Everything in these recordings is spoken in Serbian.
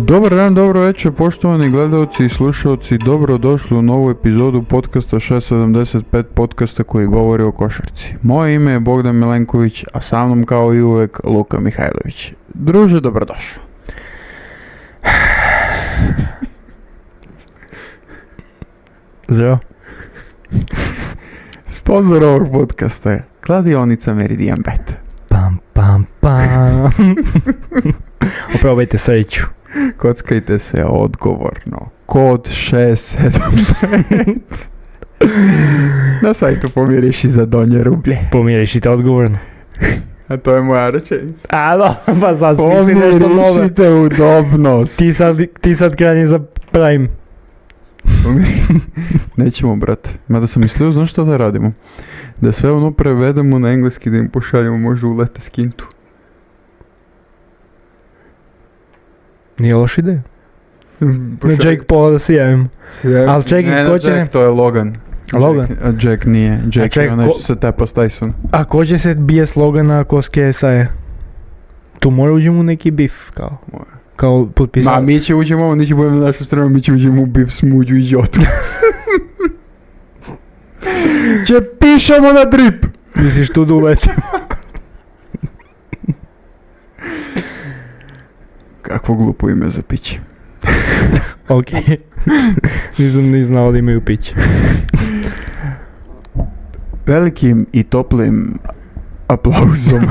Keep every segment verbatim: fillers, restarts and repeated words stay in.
Dobar dan, dobro večer, poštovani gledalci i slušalci, dobrodošli u novu epizodu podcasta šest sedamdeset pet, podcasta koji govori o košarci. Moje ime je Bogdan Milenković, a sa mnom kao i uvek Luka Mihajlović. Druže, dobrodošao. Zdravo. Sponzor ovog podcasta je kladionica Meridian Bet. Pam, pam, pam. Oprobajte sreću. Kockajte se odgovorno. Kod šest sedam pet. Na sajtu pomiriš i za donje rublje. Pomiriš i te odgovorno. A to je moja rečenica. A no, pa sad smisli nešto nove. Pomirišite udobnost. Ti sad, ti sad krani za Prime. Nećemo, brate. Mada sam mislio, znaš što da radimo? Da sve ono prevedemo na engleski, da im pošaljemo možda u lete skintu. Nije loš ideja. Na Jake Paula da se javimo. Ali čekaj, ne, ko će... Jack, to je Logan. Logan? Jack, Jack nije. Jack A je onaj ko... što se tepa s Tyson. A ko će se bije s Logana ko s K S A-je? Tu mora uđemo u neki bif, kao. Mora. Kao potpisao. Ma, mi će uđemo, oni će budemo na našu stranu, mi će uđemo u bif s Muđu i Jotu. Će pišemo na drip! Misliš tu da uletimo? Kakvo glupo ime za piće. Okej. Okay. Nisam ni znao da imaju piće. Velikim i toplim aplauzom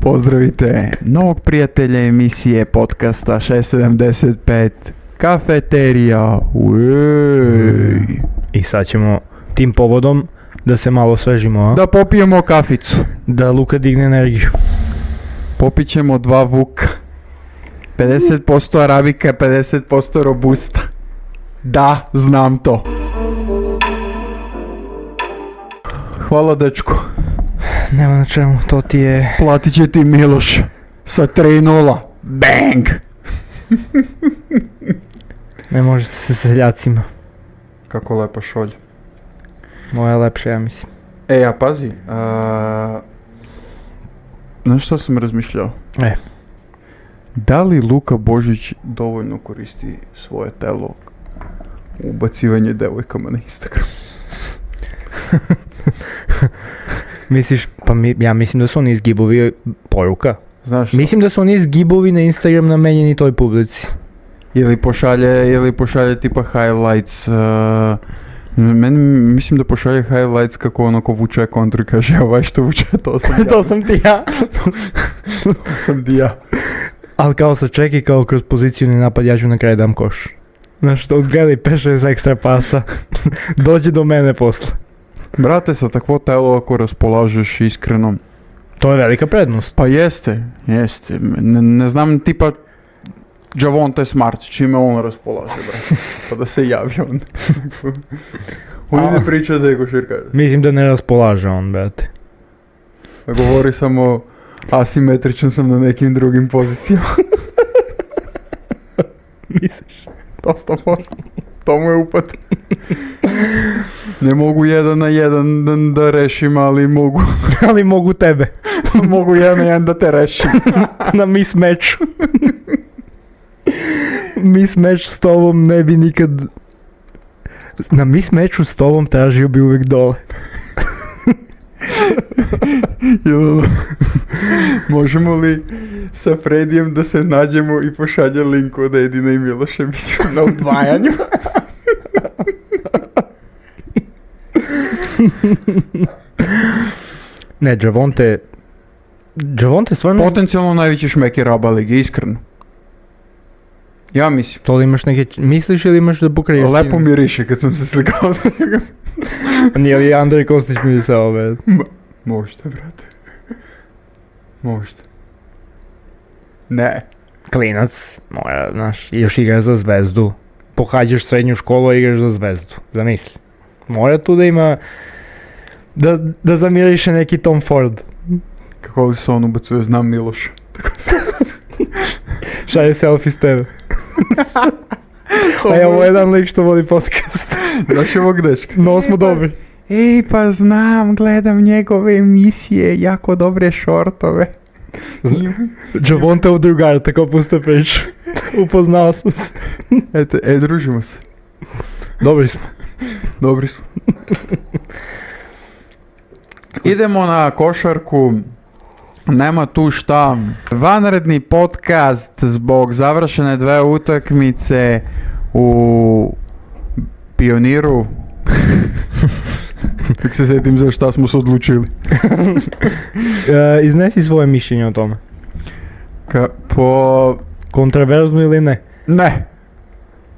pozdravite novog prijatelja emisije podcasta šest sedamdeset pet, Kafeterija. Uej. I sad ćemo tim povodom da se malo osvežimo, a? Da popijemo kaficu. Da Luka digne energiju. Popit ćemo dva vuka. pedeset posto arabika, pedeset posto robusta. Da, znam to. Hvala, dečko. Nema na čemu, to ti je... Platit će ti Miloš sa tri nula. Bang! Ne može se sa seljacima. Kako lepa šolja. Moja je lepša, ja mislim. E, a pazi. A... Znaš što sam razmišljao? E. Da li Luka Božić dovoljno koristi svoje telo u ubacivanje devojkama na Instagram? Misliš, pa mi, ja mislim da su oni izgibovi poruka. Znaš? Mislim da su oni izgibovi na Instagram namenjeni toj publici. Ili pošalje, ili pošalje tipa highlights. Uh, meni mislim da pošalje highlights kako ono ko vuče kontru i kaže ovaj što vuče, to sam ja. To sam ti ja. To sam ti ja. Ali kao sa čeki, kao kroz pozicijuni napad, ja ću na kraju dam koš. Znaš što, odgledaj peša iz ekstra pasa. Dođi do mene posle. Brate, sa takvo telo ako raspolažeš iskreno. To je velika prednost. Pa jeste, jeste. Ne, ne znam tipa Javonte Smart, čime on raspolaže, brate. Pa da se javi on. On ne priča da je košarkaš. Mislim da ne raspolaže on, brate. Govori samo asimetričan sam na nekim drugim pozicijama. Misliš? To sto posto. To mu je upad. Ne mogu jedan na jedan da, da rešim, ali mogu. Ali mogu tebe. Mogu jedan na jedan da te rešim. Na mismatchu. Mismatch s tobom ne bi nikad... Na mismatchu s tobom tražio bi uvijek dole. Možemo li sa Fredijem da se nađemo i pošalje link od Edina i Miloša, mislim, na udvajanju? Ne, Javonte... Javonte stvarno... Potencijalno najveći šmeker Aba lige, iskreno. Ja mislim. To li imaš neke... Misliš ili imaš da pokriješ? Lepo miriše kad sam se slikao sa njega. Nije li Andrej Kostić mirisao, bre? Ma, možda, brate. Možda. Ne. Klinac, mora, znaš, još igraš za Zvezdu. Pohađaš srednju školu i igraš za Zvezdu. Zamisli. Mora tu da ima... Da, da zamiriše neki Tom Ford. Kako li se on ubacuje, znam Miloša. Šalje selfie s tebe. A ja ovo je jedan lik što vodi podcast. Znaš ovog dečka? No smo dobri. Ej, pa znam, gledam njegove emisije, jako dobre šortove. Джавонтов другар, така пуста priča. Upoznao sam se. Eto, e, družimo se. Dobri smo. Dobri smo. Idemo na košarku. Nema tu šta. Vanredni podcast zbog završene dve utakmice u Pioniru. Kako se sjetim za šta smo se odlučili. E, iznesi svoje mišljenje o tome. Ka, po... Kontroverzno ili ne? Ne.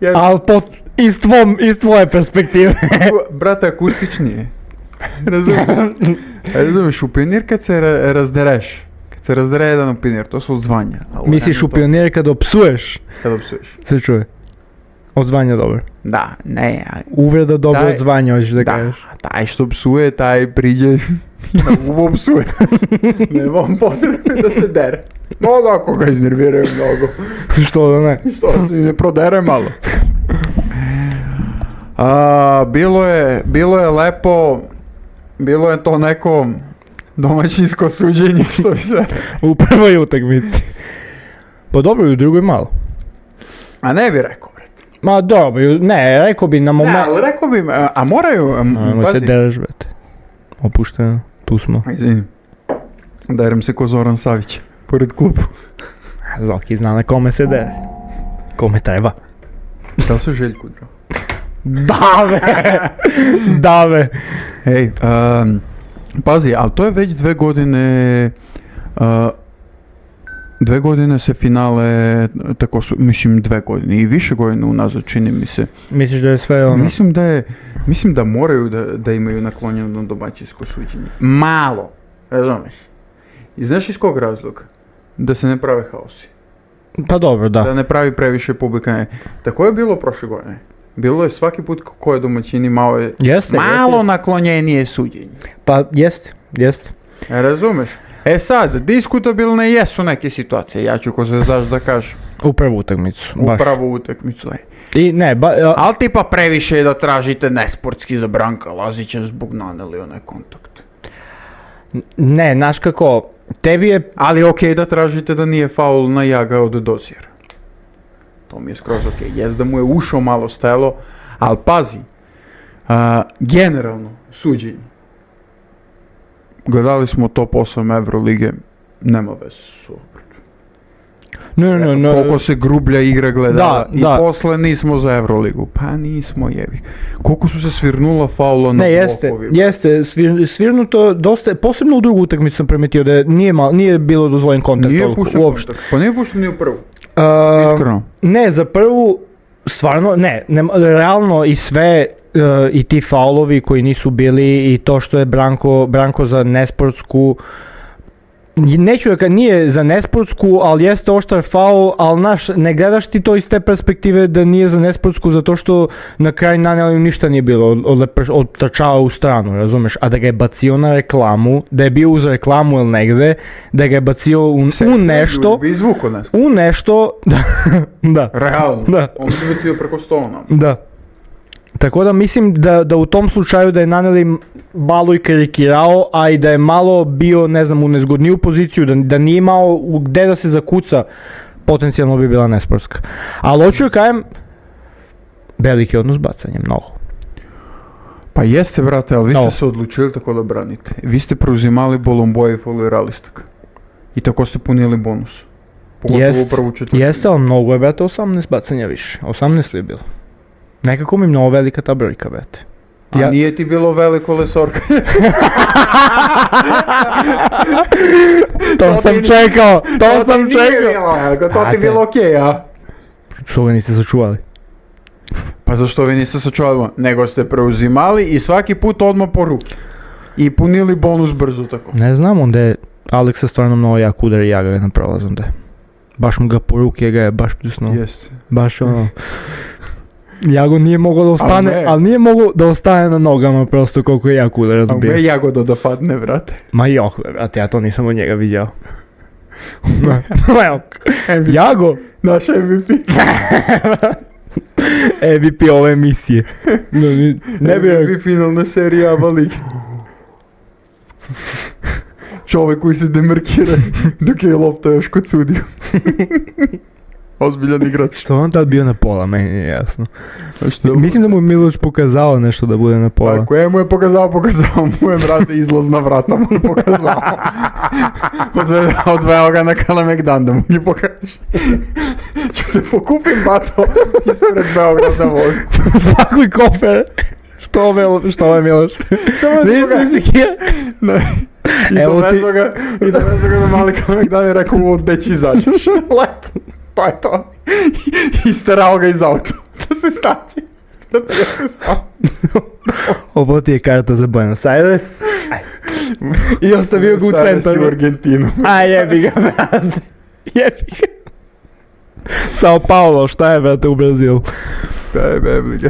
Ja... Ali po, iz, tvom, iz tvoje perspektive. Brate, akustičnije. Razumiješ? Razumiješ, u Pionir kad se ra- razdereš, kad se razdere jedan u Pionir, to su odzvanja. Misliš u Pionir kad opsuješ? Kad opsuješ. Se čuje. Odzvanja dobro. Da, ne. A... Uvreda dobro Taj... odzvanja, hoćeš da, da kažeš. Taj što psuje, taj priđe uvo psuje. Nemam potrebe da se dere. No, ako ga iznerviraju mnogo. Što da ne? Što se mi ne prodere malo. A, bilo je, bilo je lepo, bilo je to neko domaćinsko suđenje, što bi sve. U prvoj utakmici. Pa dobro, i u drugoj malo. A ne bi rekao, bre. Ma dobro, ne, rekao bi na moment... Ne, ali rekao bi, a, a moraju... A, Ajmo se dereš, brate. Opušteno, tu smo. Izvinim. Derem se ko Zoran Savić, pored klubu. Zoki zna na kome se dere. Kome treba. Da li se Željku drao? Dave! Dave! Ej, um, pazi, ali to je već dve godine... Uh, dve godine se finale, tako su, mislim dve godine i više godine unazad čini mi se. Misliš da je sve ono? Mislim da je, mislim da moraju da, da imaju naklonjeno domaćinsko suđenje. Malo, razumeš? I znaš iz kog razloga? Da se ne prave haosi. Pa dobro, da. Da ne pravi previše publika. Ne. Tako je bilo prošle godine. Bilo je svaki put ko je domaćin imao je Jeste, malo jeste. naklonjenije suđenje. Pa jeste, jeste. E, razumeš? E sad, diskutabilne jesu neke situacije, ja ću ko se znaš da kažem. U prvu utakmicu, U baš. pravu utakmicu, ej. I ne, ba... A... Ali tipa previše je da tražite nesportski za Branka Lazića zbog naneli onaj kontakt. Ne, znaš kako, tebi je... Ali okej okay da tražite da nije faul na Jaga od Dozira. To mi je skroz okej. Okay. Jest da mu je ušao malo stelo, ali pazi, a, generalno suđenje. Gledali smo top osam Evrolige, nema veze s ovom. No, no, no. Koliko se grublja igra gledala Da, i da. posle nismo za Evroligu. Pa nismo, jevi. Koliko su se svirnula faula na Ne, jeste, blokovima. jeste, svir, svirnuto dosta, posebno u drugu utakmicu sam primetio da nije, mal, nije bilo dozvoljen kontakt Nije toliko, pušten uopšte. kontakt. Pa nije pušten ni u prvu. Uh, Iskreno. Ne, za prvu, stvarno, ne, ne realno i sve, uh, i ti faulovi koji nisu bili i to što je Branko, Branko za nesportsku, neću da kad nije za nesportsku, ali jeste oštar faul, ali naš, ne gledaš ti to iz te perspektive da nije za nesportsku zato što na kraj naneli ništa nije bilo, od, od, od trčava u stranu, razumeš, a da ga je bacio na reklamu, da je bio uz reklamu ili negde, da ga je bacio u, Se, u nešto, bi izvuko nešto. u nešto, da, da, Realno. Da. On se bacio preko stola. da. Tako da mislim da, da u tom slučaju da je naneli malo i karikirao, a i da je malo bio, ne znam, u nezgodniju poziciju, da, da nije imao gde da se zakuca, potencijalno bi bila nesportska. Ali hoću da kažem, veliki odnos bacanja, mnogo. Pa jeste, brate, ali vi ste No. se odlučili tako da branite. Vi ste preuzimali bolomboje i folirali ste ga. I tako ste punili bonus. Pogotovo u Jest, prvu četvrtinu. jeste, ali mnogo je, brate, osamnaest bacanja više. osamnaest li je bilo? Nekako mi mnogo velika ta brojka, brate. A Ja- nije ti bilo veliko lesorka. To sam ti- čekao, to ti sam nije čekao. bilo, Elko, to ti Brate. bilo okej, a? Što ga niste sačuvali? Pa zašto vi niste sačuvali, nego ste preuzimali i svaki put odmah po ruki. I punili bonus brzo tako. Ne znam, onda je Aleksa stvarno mnogo jak udar i ja ga na prolaz onda je. Baš mu ga po ruke ga je baš pljusnuo. Jeste. Baš ono... Jago nije mogao da ne. ostane, ali nije mogao da ostane na nogama prosto koliko je jak udar A razbio. me Jagoda da padne, brate. Ma jok, brate, ja to nisam od njega vidio. Ma jok. Jago, Naš M V P. M V P ove emisije. No, ni- ne bi M V rekao. P finalna serija Ava Lige. čovek koji se demarkira dok je lopta još kod sudiju. Ozbiljan igrač. Što on tad bio na pola, meni nije jasno. Što? Mislim da mu je Miloš pokazao nešto da bude na pola. Pa koje mu je pokazao, pokazao mu je, brate, izlazna vrata mu je pokazao. Odveo, odveo ga na Kalemegdan da mu nje pokaže. Ću te pokupim, bato, ispred Beograda vozi. Spakuj kofer. Što ovo, što ovo je Miloš? Samo da Niš se izikira? Ne. I Evo dovezo ti- ga, i dovezo ga na mali Kalemegdan i rekao mu gde će izađeš. Leto. Pa je to. I sterao ga iz auta. Da se staći. Da te se staći. Ovo ti je karta za Buenos Aires. Aj. I ostavio ga u Sada si centar. u Argentinu. A jebi ga, brate. Jebi ga. Sao Paulo, šta je, brate, u Brazilu? Daj, bebli ga.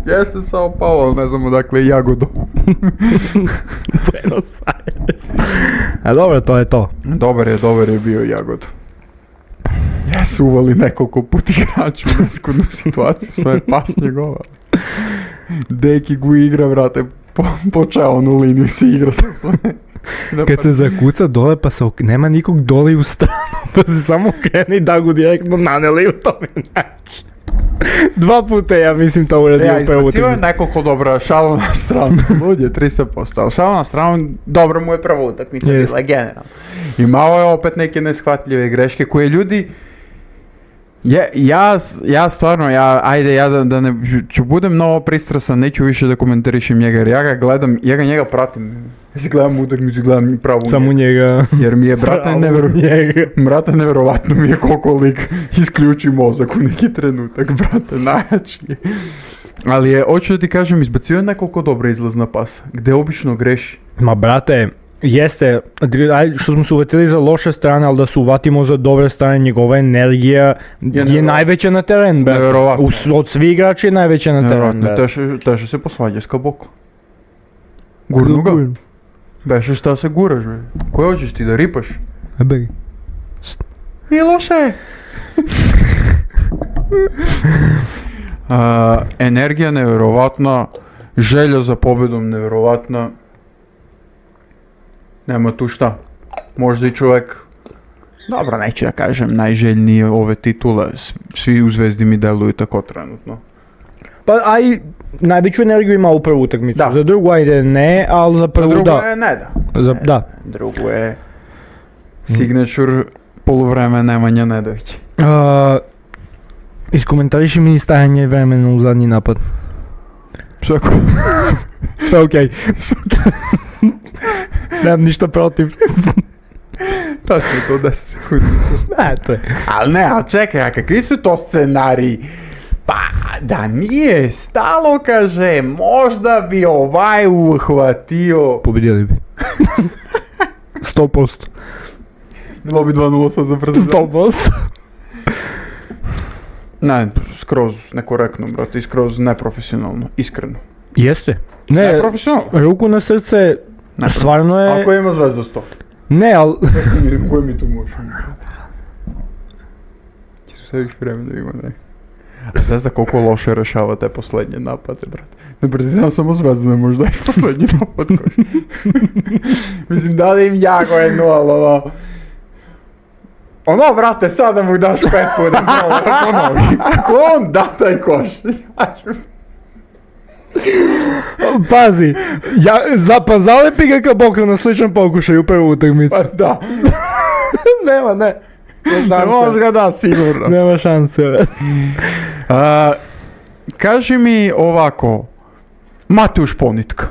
Jeste Sao Paulo, ne znam odakle je Jagodo. Buenos Aires. A dobro, to je to. Dobar je, dobar je bio Jagodo. Jesu uvali nekoliko put igraču u neskodnu situaciju, sve je pas njegova. Deki gu igra, brate, po, počeo onu liniju se igra sa sve. Kad se zakuca dole pa se ok... nema nikog dole i u stranu, pa se samo krene i da ga direktno naneli u tome način. Dva puta ja mislim to uradio Ja, u prvu izbacio je utakmicu. nekoliko dobra, šalo na stranu, lud je tristo posto, ali šalo na stranu, dobro mu je prva utakmica Jest. bila, generalno. I malo je opet neke neshvatljive greške koje ljudi, je, ja, ja stvarno, ja, ajde, ja da, da ne, ću budem mnogo pristrasan, neću više da komentarišem njega, jer ja ga gledam, ja ga njega pratim. Ja se gledam utakmicu, gledam pravu Samo njega. njega. Jer mi je, brate, Pravu nevero, njega. brate, neverovatno mi je koliko lik isključi mozak u neki trenutak, brate, najjači je. Ali je, hoću da ti kažem, izbacio je nekoliko dobra izlazna pasa, gde obično greši. Ma brate, jeste, aj, što smo se uvatili za loše strane, ali da se uvatimo za dobre strane, njegova energija je, nevjerovatno. najveća na teren, brate. Nevjerovatno. U- Od svih igrača je najveća na teren, Nevjerojatno, brate. teže, teže se posvađa s Kaboko. Gurnu ga. Beše šta se guraš, bre. Koje hoćeš ti da ripaš? Ebe. Miloše! A, energija nevjerovatna, želja za pobjedom nevjerovatna. Nema tu šta. Možda i čovjek, dobro, neću da kažem najželjniji ove titule, s- svi u Zvezdi mi deluju tako trenutno. Pa aj, najveću energiju ima u prvu utakmicu, Da. za drugu ajde ne, ali za prvu Drugo da. je ne da. Za, da. Drugo je signature poluvreme Nemanja Nedović. Uh, iskomentariši mi stajanje vremena u zadnji napad. Svako. Sve okej. Nemam ništa protiv. Tačno to deset sekundi. Ne, to je. Ali ne, ali čekaj, a kakvi su to scenariji? Pa, da nije stalo, kaže, možda bi ovaj uhvatio. Pobedili bi. sto posto. Bilo bi dva nula sad za brzo. sto posto. Ne, skroz nekorektno, brate, i skroz neprofesionalno, iskreno. Jeste. Ne, Neprofesionalno. ruku na srce, Ne. stvarno je... Ako ima Zvezda sto. Ne, ali... Koje mi tu možemo? Ti su sebi vremena ima, ne. A Zvezda koliko loše rešava te posljednje napade, brate. Ne brzi, samo Zvezda ne može da je posljednji napad. koji- Mislim, da li im jako jedno, ali ono... Ono, brate, sada mu daš pet puta, malo da ponovi. Ako on da taj koš, ja ću... Pazi, ja, za, pa zalepi ga kao Bokra na sličan pokušaj u prvu utakmicu. Pa da. Nema, ne. Ne može ga da, sigurno. Nema šanse. A, kaži mi ovako, Mateuš Ponitka.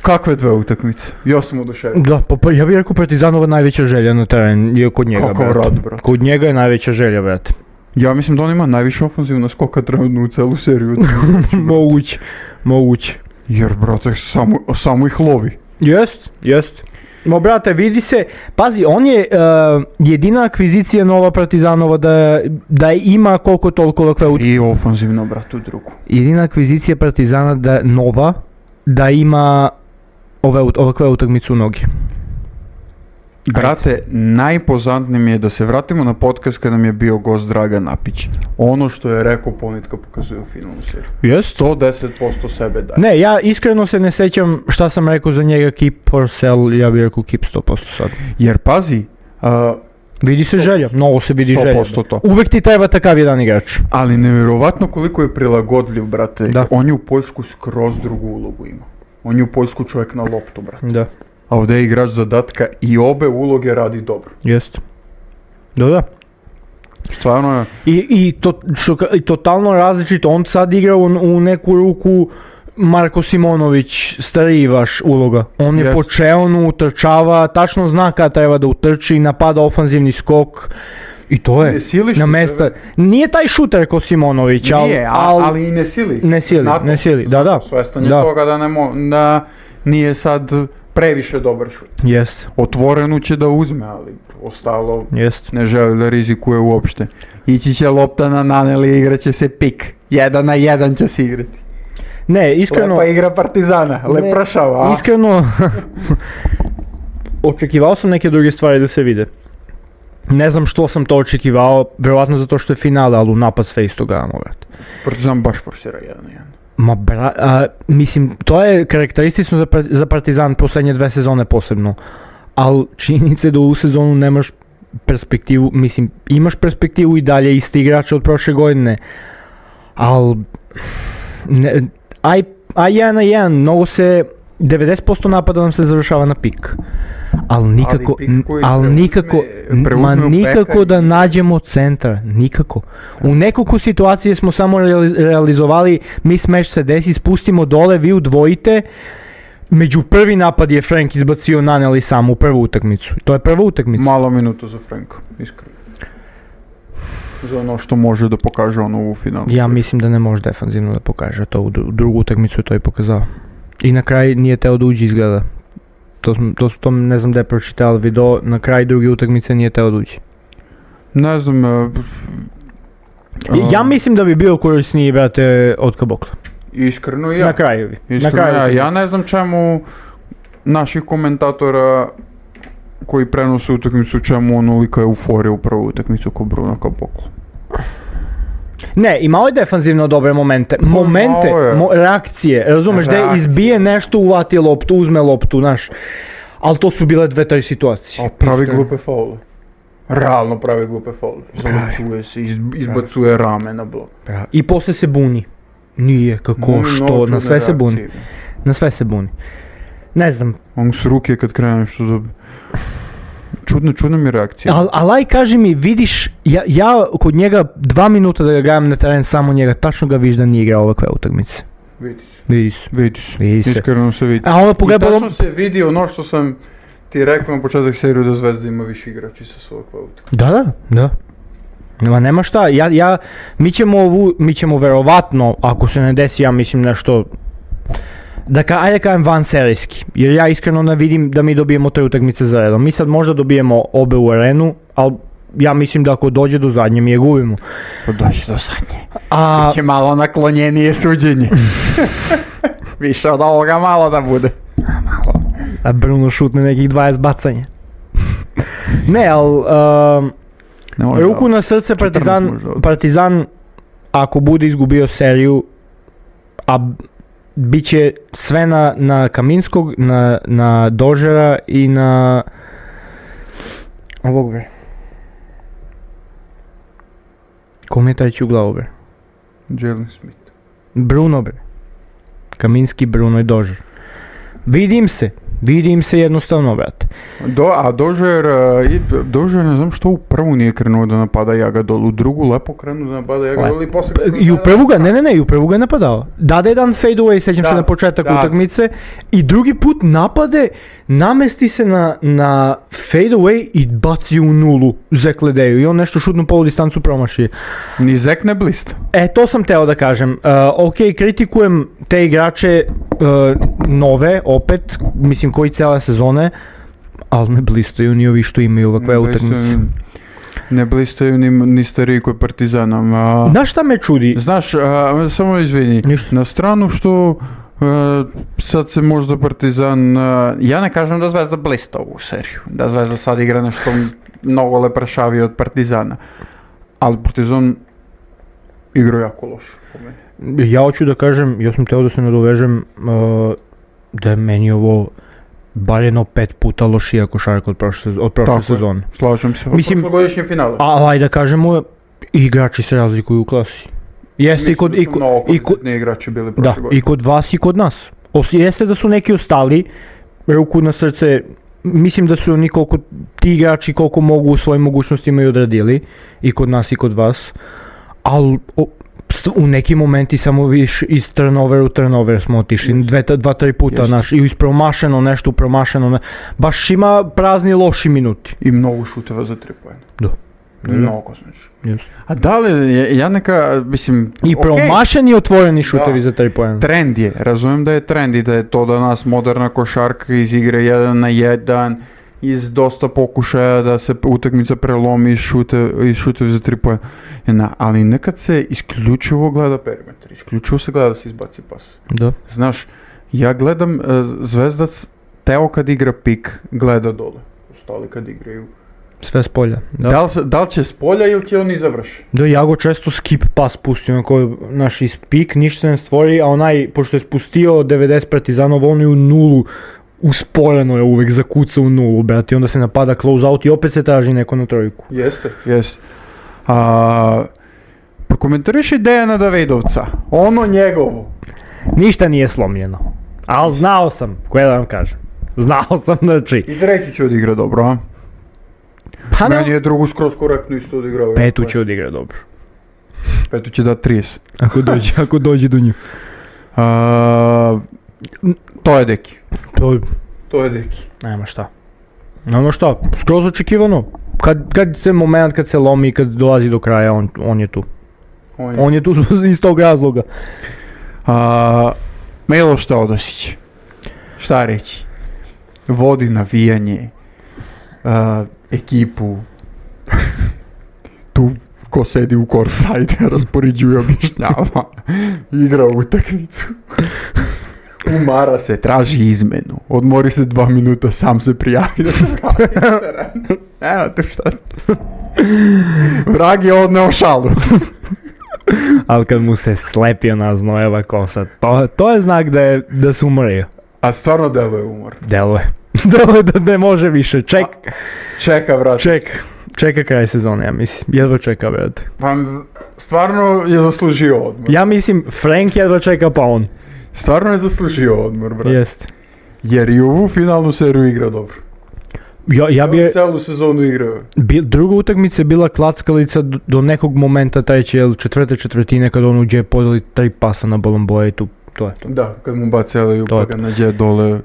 Kakve dve utakmice? Ja sam oduševljen. Da, pa, pa ja bih rekao Partizanova najveća želja na teren je kod njega, Kakav brate. rad, brate. Kod njega je najveća želja, brate. Ja mislim da on ima najviše ofenzivna skoka trenutno u celu seriju. Moguće, moguće. Jer, brate, samo, samo ih lovi. Jest, jest. No, brate, vidi se, pazi, on je uh, jedina akvizicija nova Partizanova da, da ima koliko toliko ovakve ut... I ofenzivno, brate, u drugu. Jedina akvizicija Partizana da nova da ima ove, ut- ovakve utakmicu u nogi. Brate, najpoznatnije mi je da se vratimo na podcast kada nam je bio gost Dragan Napić. Ono što je rekao Ponitka pokazuje u finalnu seriju. Jest? sto deset posto sebe daje. Ne, ja iskreno se ne sećam šta sam rekao za njega, keep or sell, ja bih rekao keep sto posto sad. Jer pazi, uh, vidi se želja, mnogo se vidi želja. sto posto to. Uvek ti treba takav jedan igrač. Ali nevjerovatno koliko je prilagodljiv, brate. Da. On je u Poljsku skroz drugu ulogu ima. On je u Poljsku čovjek na loptu, brate. Da. A ovdje je igrač zadatka i obe uloge radi dobro. Jest. Da, da. Stvarno je... I, i, to, što, i totalno različito, on sad igra u, u neku ruku Marko Simonović, stariji vaš uloga. On je Yes. po čeonu, utrčava, tačno zna kada treba da utrči, napada ofanzivni skok. I to je, Ne sili na mesta. Nije taj šuter ko Simonović, ali... Nije, al, ali i ne sili. Ne sili, Znatno, ne sili, da, da. Svestan je da. toga da, ne mo, da nije sad previše dobar šut. Jest, Otvorenu će da uzme, ali ostalo jest. ne želi da rizikuje uopšte. Ići će lopta na Naneli i igraće se pik. Jedan na jedan će se igrati. Ne, iskreno... Lepa igra Partizana, lepršava. Ne, iskreno, očekivao sam neke druge stvari da se vide. Ne znam što sam to očekivao, vjerovatno zato što je finale, ali u napad sve isto gledamo, vrat. Partizan baš forsira jedan na jedan. Ma bra, a, mislim, to je karakteristično za, za Partizan posljednje dve sezone posebno. Ali činjenica je da u sezonu nemaš perspektivu, mislim, imaš perspektivu i dalje isti igrače od prošle godine. Ali, aj, aj jedan na jedan, mnogo se, devedeset posto napada nam se završava na pik. Ali nikako, Ali pik koji ali preuzme- nikako, preuzme ma u nikako peka da i- nađemo centra, nikako. U nekoliko situacije smo samo reali- realizovali, mismatch se desi, spustimo dole, vi udvojite. Među prvi napad je Frank izbacio Naneli sam u prvu utakmicu. To je prva utakmica. Malo minuto za Franka, iskreno. Za ono što može da pokaže ono u finalu. Ja mislim da ne može defanzivno da pokaže to, u dru- drugu utakmicu je to i pokazao. I na kraj nije teo da uđe izgleda. To, sam- to, to ne znam da je pročitao video, na kraj druge utakmice nije teo da uđe. Ne znam... e, I- Ja e, mislim da bi bio korisniji, brate, od Kabokla. Iskreno ja. Na kraju bi. Na Iskreno kraju ja. utakmice. Ja ne znam čemu naših komentatora koji prenose utakmicu, čemu onolika euforija u prvu utakmicu ko Bruno Kabokla. Ne, imao je defanzivno dobre momente. Momente, malo je. mo, reakcije, razumeš, da je Reakcije. izbije nešto, uvati loptu, uzme loptu, znaš. Ali to su bile dve, tri situacije. A pravi Iskreno. glupe faule. Realno pravi glupe faule. Zalučuje se, iz, izbacuje rame na blok. I posle se buni. Nije, kako, Mnogo što, čudne na sve se buni. reakcije. Na sve se buni. Ne znam, On s ruke kad krene nešto da... Čudna, čudna mi reakcija. ali al, aj kaži mi, vidiš, ja, ja kod njega dva minuta da ga gledam na teren, samo njega, tačno ga vidiš da nije igrao ovakve utakmice. Vidi se. Vidi se. Vidi se. Vidi se. Iskreno se vidi. A onda I pogledaj, tačno se vidi ono što sam ti rekao na početak seriju da Zvezda ima više igrači sa svog utakmice. Da, da, da. Ma nema šta, ja, ja, mi ćemo ovu, mi ćemo verovatno, ako se ne desi, ja mislim nešto, da ka, ajde kažem van serijski, jer ja iskreno ne vidim da mi dobijemo te utakmice za redom. Mi sad možda dobijemo obe u arenu, ali ja mislim da ako dođe do zadnje mi je gubimo. Pa doći do zadnje. A, Biće malo naklonjenije suđenje. Više od ovoga malo da bude. a Bruno šutne nekih dvadeset bacanja. Ne, ali, um, Ne može ruku da- na srce četrnaest Partizan, može da- Partizan ako bude izgubio seriju, a bit će sve na, na Kaminskog, na, na Dožera i na ovog bre. Kom je taj će u glavu bre? Jalen Smith. Bruno bre. Kaminski, Bruno i Dožer. Vidim se, vidim se jednostavno, brate. Do, a Dožer, uh, i- Dožer ne znam što u prvu nije krenuo da napada Jagadol, u drugu lepo krenuo da napada Jagadol i posle... I u prvu ga, ne ne ne, i u prvu ga je napadao. Dade jedan fade away, sećam Da, se na početak da. utakmice. I drugi put napade, namesti se na, na fade away i baci u nulu Zekledeju. I on nešto šutnu polu distancu promaši. Ni Zek ne blista. E, to sam teo da kažem. Uh, ok, kritikujem te igrače uh, nove, opet, mislim koji cijele sezone, ali ne blistaju ni ovi što imaju ovakve Ne utakmice. blistaju- Ne blistaju ni, ni stariji koji Partizanom. A, Znaš šta me čudi? znaš, a, samo izvini, Ništa. na stranu što Uh, sad se možda Partizan, uh, ja ne kažem da Zvezda blista ovu seriju, da Zvezda sad igra nešto mnogo lepršavije od Partizana, ali Partizan igra jako loše po meni. Ja hoću da kažem, ja sam teo da se nadovežem uh, da je meni ovo bar jedno pet puta lošija košarka od prošle, od prošle sezone. Slažem se, od Mislim, prošlogodišnje finale. A ajde da kažemo, igrači se razlikuju u klasi. Jeste i kod, i kod, i kod, igrači bili prošle da, godine. i kod vas i kod nas. Os, jeste da su neki ostali, ruku na srce, mislim da su oni koliko, ti igrači koliko mogu u svojim mogućnostima i odradili, i kod nas i kod vas, ali u neki momenti samo viš iz turnover u turnover smo otišli, dve, dva, tri puta, Jest. naš, i ispromašeno nešto, promašeno, ne, baš ima prazni loši minuti. I mnogo šuteva za tri poena. Da. Mnogo znači. Yes. A da li, ja, ja neka, mislim, I okay, promašeni i otvoreni šutevi da. za tri poena. Trend je, razumijem da je trend i da je to danas moderna košarka iz igre jedan na jedan, iz dosta pokušaja da se utakmica prelomi i šute, i šutevi za tri poena, ali nekad se isključivo gleda perimetar, isključivo se gleda da se izbaci pas. Da. Znaš, ja gledam, uh, Zvezdac Teo kad igra pik, gleda dole, ostali kad igraju. Sve s polja. Da. Da li, se- da li će s polja ili će oni završi? Da, ja go često skip pas pustio, onako, naš iz pik, ništa se ne stvori, a onaj, pošto je spustio devedeset Partizanova, on je u nulu, usporeno je uvek zakuca u nulu, brate, i onda se napada close out i opet se traži neko na trojku. Jeste. Jeste. A, prokomentariši Dejana Davidovca, ono njegovo. Ništa nije slomljeno, ali znao sam, koje da vam kažem, znao sam, znači, I treći će odigra dobro, a? pa Meni ne, je drugu skroz korektno isto odigrao. petu će odigrati dobro, Petu će dati trideset. ako dođe, ako dođe do nju. A, to je deki. To, To je deki. nema šta. Nema šta, skroz očekivano, kad, kad se moment, kad se lomi, kad dolazi do kraja, on, on je tu. On je. On je tu iz tog razloga. A, Miloš Teodosić. Šta reći? Vodi navijanje. A, ekipu. Tu ko sedi u courtside, raspoređuje, objašnjava. Igra utakmicu. Umara se, traži izmenu. Odmori se dva minuta, sam se prijavi da se vrati na teren. Evo tu šta. Vrag je odneo šalu. Ali kad mu se slepi ona znojeva kosa, to, to je znak da, je, da se umorio. A stvarno deluje umor. Deluje. Deluje da ne može više. Ček, Čeka, brate. ček. Čeka kraj sezone, ja mislim. Jedva čeka, brate. Pa stvarno je zaslužio odmor. Ja mislim, Frank jedva čeka, pa on. Stvarno je zaslužio odmor, brate. Jest. Jer i ovu finalnu seriju igra dobro. Ja, ja bi, Celu sezonu igrao. bi, druga utakmica je bila klackalica do, do nekog momenta, treće ili četvrte četvrtine, kad on uđe podeli tri pasa na Bolomboja i tu, to je to. Da, kad mu baci Eliju To pa je ga nađe dole.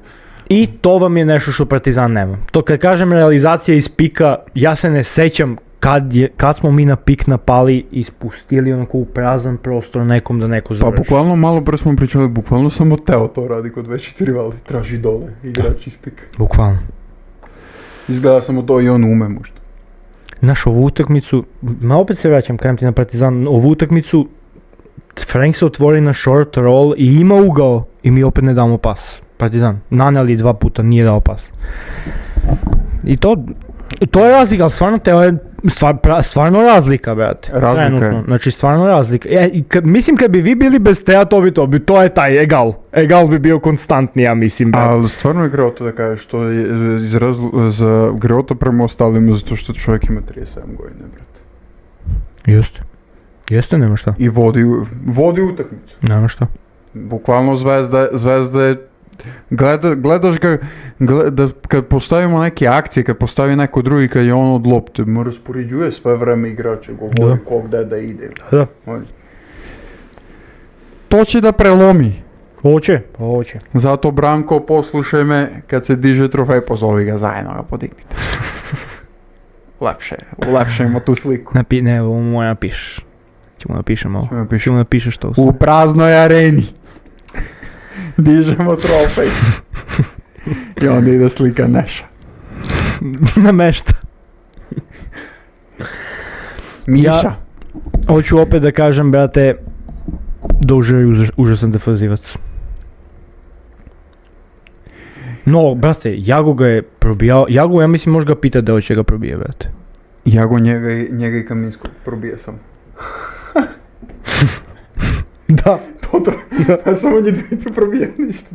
I to vam je nešto što Partizan nema. To kad kažem realizacija iz pika, ja se ne sećam kad, je, kad smo mi na pik napali i spustili onako u prazan prostor nekom da neko Pa završi. bukvalno malo pre smo pričali, bukvalno samo Teo to radi kod već četiri vali. Traži dole, igrač iz pika. Bukvalno. Izgleda samo to i on ume možda. Znaš, ovu utakmicu, ma opet se vraćam, kajem ti na Partizan, ovu utakmicu Frank se otvori na short roll i ima ugao i mi opet ne damo pas. Partizan, naneli dva puta, nije dao pas. I to, to je razlika, ali stvarno Teo je stvar, pra, stvarno razlika, brate. Razlika je. Trenutno. Znači stvarno razlika. E, i kad, mislim kad bi vi bili bez Tea, to bi to, bi, to je taj egal. Egal bi bio konstantni, ja mislim, brate. Ali stvarno je greota da kažeš, to je iz razlo- za greota prema ostalima zato što čovjek ima trideset sedam godina, brate. Jeste. Jeste, nema šta. I vodi, vodi utakmicu. Nema šta. Bukvalno Zvezda, Zvezda je, gleda, gledaš ga, gleda, kad postavimo neke akcije, kad postavi neko drugi, kad je on od lopte, mu raspoređuje sve vreme igrače, govori Da. ko gde da ide. Da. On- To će da prelomi. Hoće, pa hoće. Zato Branko, poslušaj me, kad se diže trofej, pozovi ga zajedno, ga podignite. Lepše, ulepšajmo tu sliku. Napi, ne, ovo mu napišeš. Ćemo napišem ovo. Ćemo napišem. Ćemo napišeš to. U praznoj areni. Dižemo trofej. I onda ide slika Neša. Namešta. Miša. Ja- Hoću opet da kažem, brate, da Užar je užas- užasan defanzivac. No, brate, Jago ga je probijao, Jago ja mislim može ga pita da hoće ga probije, brate. Jago njega i, njega i Kaminskog probije sam. Da. Toto, ja samo njih dvicu probije ništa.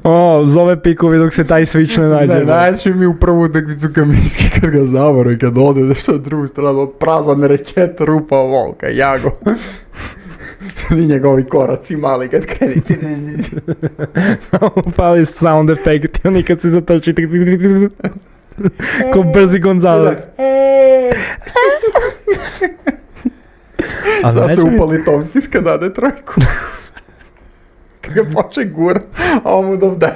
O, zove pikovi dok se taj switch ne nađe. Ne, naći mi u prvu utakmicu Kaminski kad ga zavore, kad ode nešto na drugu stranu, prazan reket, rupa volka, Jago. I njegovi koraci mali kad kreni. Samo pali sound efekt i oni kad se zatoči ko brzi Gonzales. A da se znači mi- upali Tomkis kad dade trojku. Kad ga poče gura, a on mu dovdaje.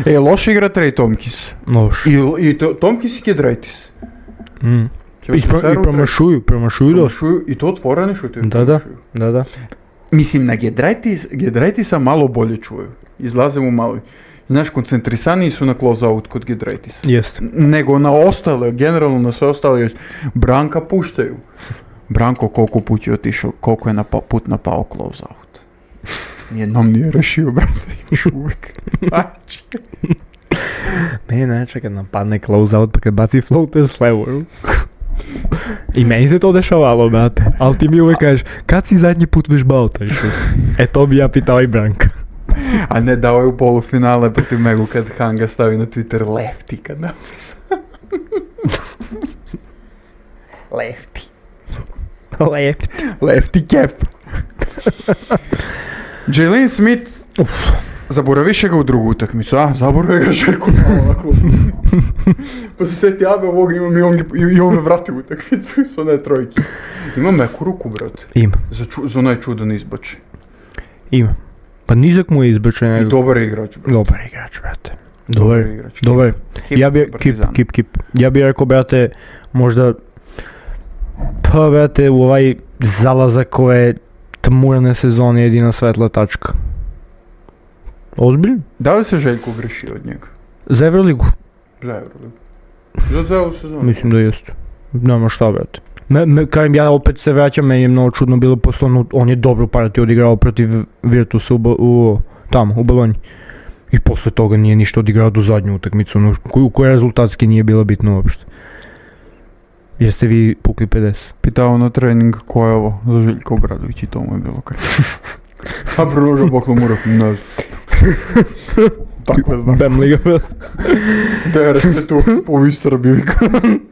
E, loš igra Trey Tomkis. Loš. I, i to, Tomkis i Giedraitis. Mm. I, pro, I promašuju, promašuju dosta. Promašuju, i to otvorene šute. Da, da, da, da. Mislim, na Giedraitis, Giedraitisa malo bolje čuju. Izlaze mu malo. Znaš, koncentrisaniji su na close-out kod Giedraitisa. Jest. Nego na ostale, generalno na sve ostale, još Branka puštaju. Branko koliko put je otišao, koliko je napao, put napao close-out. Nijednom nije rešio, brate, još uvijek. Znači. Ne, ne, čekaj, napadne close-out pa kad baci floater s levo. I meni se to dešavalo, brate. Ali ti mi uvijek kažeš, kad si zadnji put vežbao taj šut? E to bi ja pitao i Branka. A ne, dao je u polufinale protiv Megu kad Hanga stavi na Twitter lefty kad napisao. Lefty. Lefty. Lefty cap. Jalen Smith, Uf. zaboraviše ga u drugu utakmicu, a? Zaboravio ga Željko ovako. Pa se sjeti Abe ovog imam i on, i on me vrati u utakmicu s one trojke. Ima meku ruku, brate. Ima, Za, ču, za onaj čudan izbači. ima. Pa nizak mu je izbačen. I nego- dobar je igrač, brate. Dobar igrač, brate. Dobar, Dobar igrač. dobar. Kip Ja bi, kip, Partizan. kip, kip. Ja bi rekao, brate, možda, pa, brate, u ovaj zalazak ove tmurne sezone jedina svetla tačka. Ozbiljno? Da li se Željko grešio od njega? Za Euroligu? Za Euroligu. Za celu sezonu. Mislim da jeste. Nema šta, brate. Me, me, kažem, ja opet se vraćam, meni je mnogo čudno bilo, posle on, on je dobru partiju odigrao protiv Virtusa u, Bo- u, tamo, u Bolonji. I posle toga nije ništa odigrao do zadnju utakmicu, no, koju, koja rezultatski nije bila bitna uopšte. Jeste vi pukli pedeset? Pitao na trening ko je ovo za Željko Obradović i to mu je bilo kraj. A Bruno ga boklo mu rekao, ne znam. Tako znam. Bem liga, brate. Dere se tu, ovi Srbi,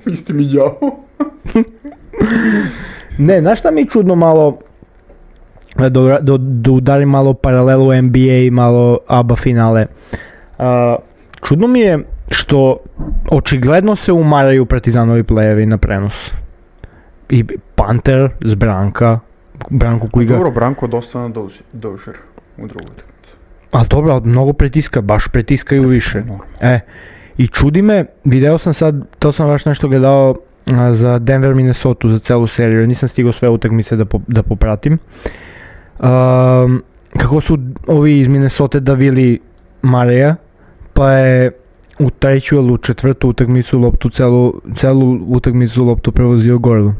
isti mi đavo. Ne, znaš šta mi je čudno malo, da, do, do, da udarim malo paralelu N B A i malo A B A finale. Uh, čudno mi je što očigledno se umaraju Partizanovi playevi na prenos. I Panter s Branka, Branko koji ga... Dobro, Branko dosta na dozi, dožer u drugu utakmicu. Ali dobro, ali mnogo pritiska, baš pritiskaju više. E, i čudi me, video sam sad, to sam baš nešto gledao a, za Denver Minnesota za celu seriju, nisam stigao sve utakmice da, po, da popratim. Um, kako su ovi iz Minnesota davili Mareja, pa je u treću ili u četvrtu utakmicu loptu, celu, celu utakmicu loptu prevozio Gordon.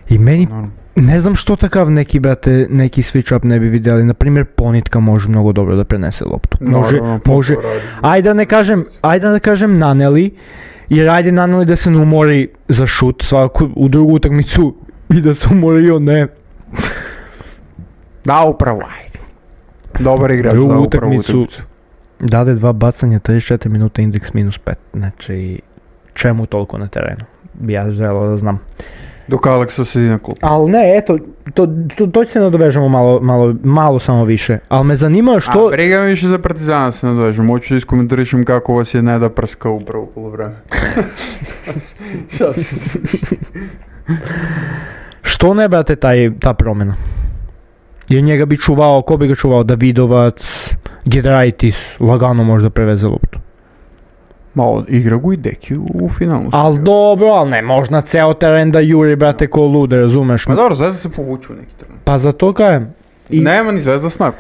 I meni, Normalno. ne znam što takav neki, brate, neki switch up ne bi vidjeli. Naprimjer, Ponitka može mnogo dobro da prenese loptu. Može, Naravno, pa može, to radi. ajde da ne kažem, ajde da ne kažem Naneli, jer ajde Naneli da se ne umori za šut svako u drugu utakmicu i da se umori i on ne. Da, upravo, ajde. Dobar igrač, Drugu da, upravo utakmicu. utakmicu. Dade dva bacanja, trideset četiri minuta, indeks minus pet. Znači, čemu toliko na terenu? Bi ja želeo da znam. Dok Aleksa sedi na klupu. Ali ne, eto, to, to, to će se nadovežemo malo, malo, malo samo više. Ali me zanima što... A briga me više za Partizana se nadovežem. Hoću da iskomentarišem kako vas je Neda prskao upravo u polovreme. Što ne, brate, taj, ta promjena? Jer njega bi čuvao, ko bi ga čuvao? Davidovac, Giedraitis, lagano možda preveze loptu. Malo igra gu i Deki u, u finalu. Al dobro, al ne možda ceo teren da juri, brate, ko lude, razumeš? Ma dobro, Zvezda se povuče u neki trenutak. Pa za to kajem. I, Nema ni Zvezda snagu.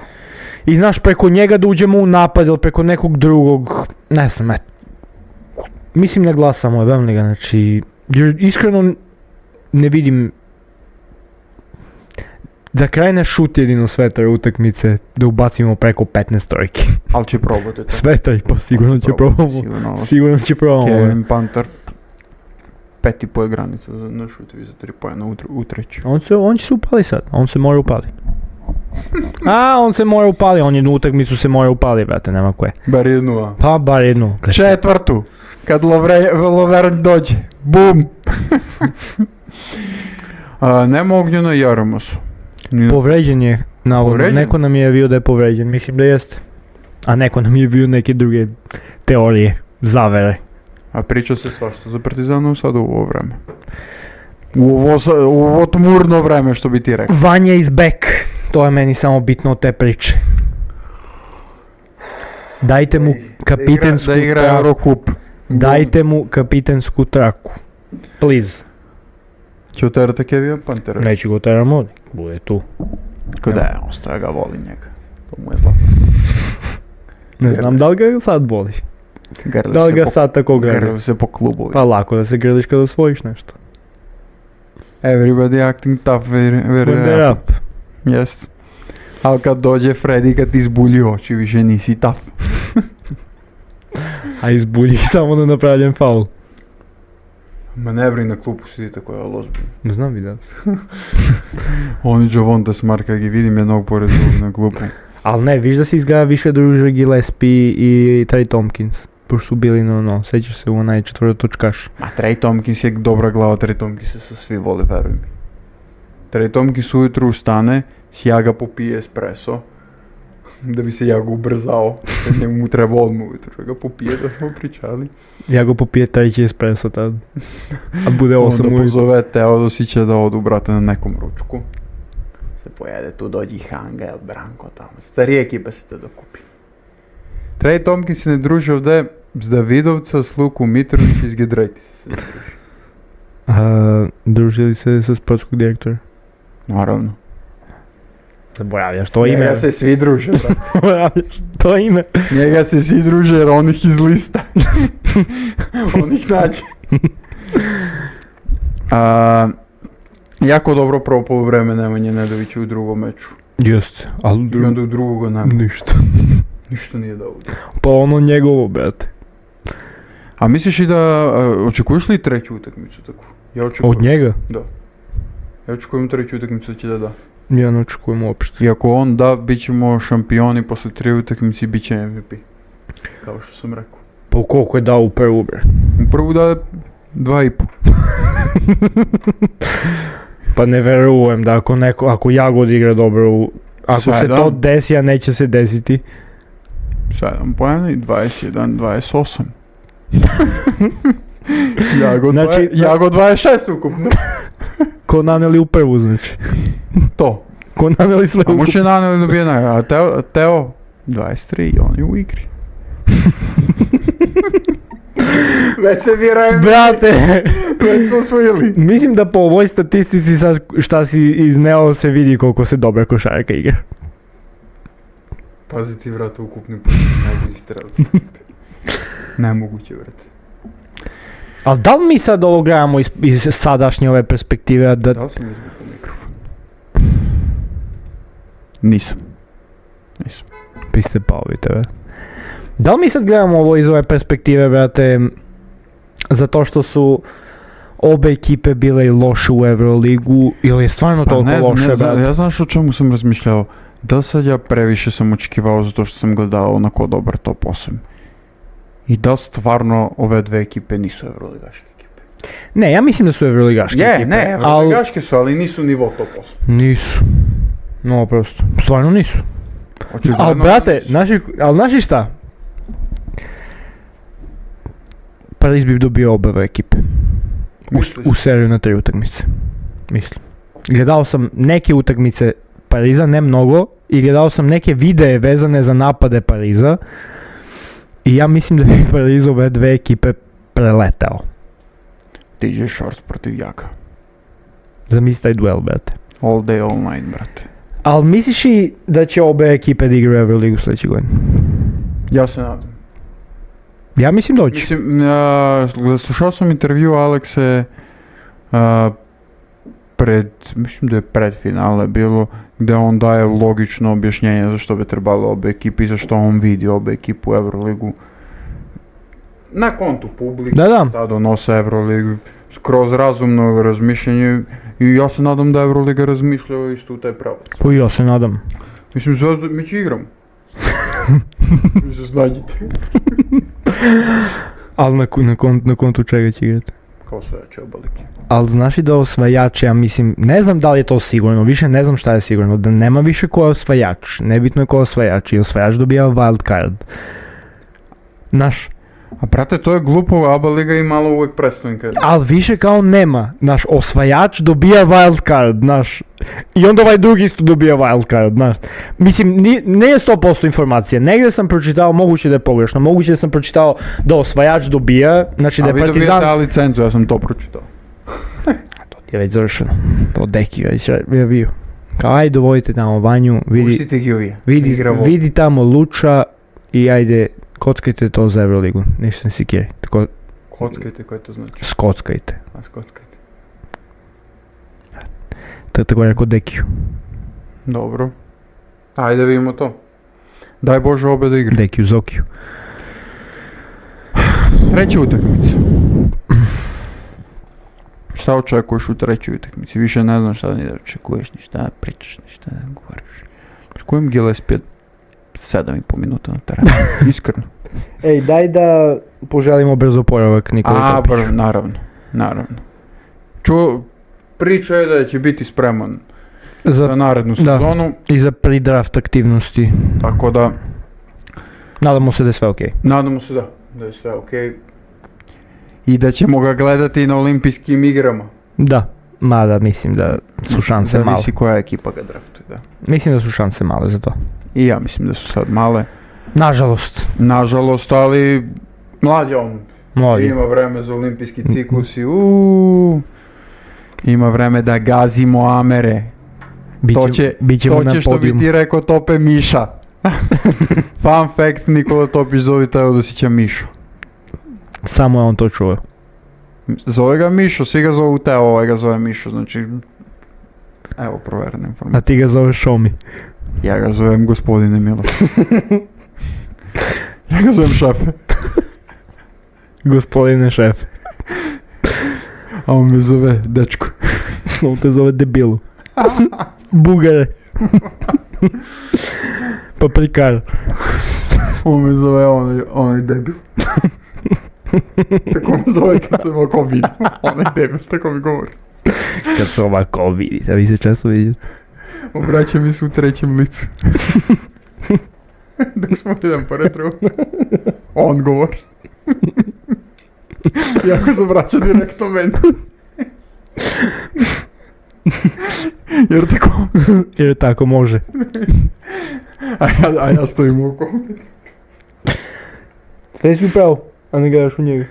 I znaš, preko njega da uđemo u napad ili preko nekog drugog, ne znam, et. Mislim ne glasamo, jebem li ga, znači, jer iskreno ne vidim, da krene šut jedino sve te utakmice, da ubacimo preko petnaest trojki. Ali će probati to. Sve tri, pa sigurno će probamo. Sigurno, sigurno će probamo. Kevin Panter, pet i po je granica na šutevi za tri pojena u, u treći. On, se, on će se upali sad, on se mora upali. A, on se mora upali, on jednu utakmicu se mora upali, brate, nema koje. Bar jednu, a? Pa, bar jednu. Četvrtu, kad Lovre, Lovern dođe, bum! a, nema Ognjena i Jaromosu. Nije. Povređen je, navodno, Povređen? neko nam je bio da je povređen, mislim da jeste. A neko nam je bio neke druge teorije, zavere. A priča se svašta za Partizanu sad u ovo vreme. U ovo, sa- u ovo tmurno vreme, što bi ti rekao. Vanja is back, to je meni samo bitno od te priče. Dajte mu kapitensku Da igra, da igra traku. Eurocup. Dajte mu kapitensku traku. Please. Će oterate Kevina Pantera. Neću go teramo, bude tu. Kada je, ostaje ga, voli njega. To mu je zlatno. Ne znam da li ga sad boli. Grli Da li se ga po- sad tako grli. grli se po klubovi. Pa lako da se grliš kada osvojiš nešto. Everybody acting tough, very, very When they're up. Yes. Ali kad dođe Freddy, kad ti zbulji oči, više nisi tough. A izbulji samo da napravljam faul. Ma ne brini, na klupu sidi tako je ozbiljno. Ne znam vidjeti. Oni Javonte Smart, kad gi vidim jednog pored drugog na klupu. Ali ne, viš da se izgleda više druže Gillespie i Trey Tompkins. Pošto su bili no no, sećaš se u onaj četvrtotočkaš. A Trey Tompkins je dobra glava, Trey Tompkins se svi vole, veruj mi. Trey Tompkins ujutru ustane, sjaga popije espresso, da bi se jako ubrzao, kad njemu treba odmah ujutru, da ga popije, da smo pričali. Ja go popije treći espresso tad. A bude osam Onda ujutru. pozove Teodosića da odu, brate, na nekom ručku. Se pojede tu, dođi Hangel, Branko tamo, starije ekipe se te dokupi. Trey Tompkins se ne druži ovdje s Davidovca, s Luku Mitrović i s Gedraitis se ne druži. A, družili se sa sportskog direktora? Naravno. Zaboravljaš to ime. Njega se svi druže, brate. Zaboravljaš to ime. Njega se svi druže jer on ih izlista. On ih nađe. A, jako dobro prvo poluvreme Nemanje Nedović u drugom meču. Just, ali I dru... onda u drugoga nema. ništa. Ništa nije dao. Pa ono njegovo, brate. A misliš i da, a, očekuješ li treću utakmicu tako? Ja očekujem. Od njega? Da. Ja očekujem treću utakmicu da će da da. Ja ne očekujem uopšte. I ako on da, bit ćemo šampioni posle tri utakmice i bit će M V P. Kao što sam rekao. Pa koliko je dao u prvu, bre? U prvu da dva i po. Pa ne verujem da ako neko, ako Jagod igra dobro, u- ako se Sedam. to desi, a neće se desiti. sedam pojena i dvadeset jedan dvadeset osam. Jago, Znači, znači, Jago dvadeset šest ukupno. Ko naneli u prvu, znači. To. Ko naneli sve A ukupno. može naneli dobije nagradu. A Teo, Teo dvadeset tri i on je u igri. Već se vjerujem. Brate, Već smo osvojili. mislim da po ovoj statistici sad šta si izneo se vidi koliko se dobra košarka igra. Pazi ti, vrata, ukupni put. Najbolji strelci. Nemoguće, vrate. Ali da li mi sad ovo gledamo iz, iz sadašnje ove perspektive, a da... Da li sam izbukao mikrofon? Nisam. Nisam. Vi ste pali, tebe. Da li mi sad gledamo ovo iz ove perspektive, brate, zato što su obe ekipe bile i loše u Euroligu, ili je stvarno Pa toliko ne znam, loše, ne znam, brate? ja znaš o čemu sam razmišljao. Da li sad ja previše sam očekivao zato što sam gledao onako dobar top osam. I da li stvarno ove dve ekipe nisu evroligaške ekipe? Ne, ja mislim da su Euroligaške Je, ekipe. ne, ali evroligaške su, ali nisu nivo top osam. nisu. No, prosto. Stvarno nisu. Očigledno Ali, brate, nisu. naši, ali znaš šta? Pariz bi dobio oba ekipe. U, Misliš? u seriju na tri utakmice. Mislim. Gledao sam neke utakmice Pariza, ne mnogo, i gledao sam neke videe vezane za napade Pariza. I ja mislim da bi Pariz ove dve ekipe preletao. T J Shorts protiv Jaka. Zamisli taj duel, brate. All day, all night, brate. Ali misliš i da će obe ekipe da igraju Euroligu sljedeće godine? Ja se nadam. Ja mislim da hoće. Mislim, ja, slušao sam intervju Alekse, a, pred, mislim da je pred finale bilo, gde on daje logično objašnjenje zašto bi trebalo obe ekipe i zašto on vidi obe ekipu u Euroligu. Na kontu publike, Da, da. šta donose Euroligu, skroz razumno razmišljanje i ja se nadam da Euroliga razmišlja isto u taj pravac. Pa ja se nadam. Mislim, Zvezda, mi će igramo. Vi se snađite. Ali na, na, kont, na kontu čega će igrati? Kao sveće obalike. Ali znaš i da osvajač, ja mislim, ne znam da li je to sigurno, više ne znam šta je sigurno, da nema više ko je osvajač, nebitno je ko je osvajač i osvajač dobija wild card. Znaš, A brate, to je glupo, ABA liga i malo uvijek predstavnika. ali više kao nema, znaš, osvajač dobija wild card, znaš, i onda ovaj drugi isto dobija wild card, znaš. Mislim, ni, ne je sto posto informacija, negdje sam pročitao, moguće da je pogrešno, moguće da sam pročitao da osvajač dobija, znači da A je vi Partizan... dobijete A licencu, ja sam to pročitao. To je već završeno, to deki već je bio. Kao ajde dovodite tamo Vanju, vidi, Pustite ga uvije. vidi, vidi tamo Luča i ajde kockajte to za Euroligu, ništa ne sikiri, tako Kockajte, koje to znači? skockajte, A skockajte. to je tako rekao Dekiju, Dobro. Ajde vidimo to. Daj Bože obe da igra. Dekiju Zokiju. Treća utakmica. Šta očekuješ u trećoj utakmici? Više ne znam šta ni da očekuješ, ni šta pričaš, ni šta ne govoriš. S kojim Gillespie sedam i po minuta na terenu? Iskreno. Ej, daj da poželimo brzo oporavak Nikoli A, Topiću. br, naravno, naravno. Ču, priča je da će biti spreman za, Za, narednu da. sezonu, I za pre-draft aktivnosti. tako da Nadamo se da je sve okej. nadamo se da, da je sve okej. I da ćemo ga gledati na olimpijskim igrama. Da, mada mislim da su šanse male. Zavisi koja ekipa ga draftuje, da. Mislim da su šanse male za to. I ja mislim da su sad male. Nažalost, Nažalost, ali mlad je on. mladi. Ima vreme za olimpijski ciklus i uuu. Ima vreme da gazimo Amere. Biće, to će, bit ćemo to na će što bi podijumu. ti rekao Tope Miša. Fun fact, Nikola Topić zove Teodosića Mišo. Samo je on to čuo. Zove ga Mišo, svi ga zovu Teo, ovaj ga zove Mišo, znači... Evo proverena A informacija. ti ga zoveš Šomi. Ja ga zovem gospodine Miloš. Ja ga zovem šefe. Gospodine šef. A on me zove dečko. On te zove debilu. Bugare. Paprikar. On me zove onaj, onaj debil. Tako me zove kad se ovako vidi. Onaj debil, tako mi govori. Kad se ovako vidite, a vi se često vidite. Obraća mi se u trećem licu. Dok smo jedan pored drugo. On govori. Jako se obraća direktno meni. Jer tako... Jer tako može. A ja, a ja stojim oko. Sve si upravo, a ne gledaš u njega.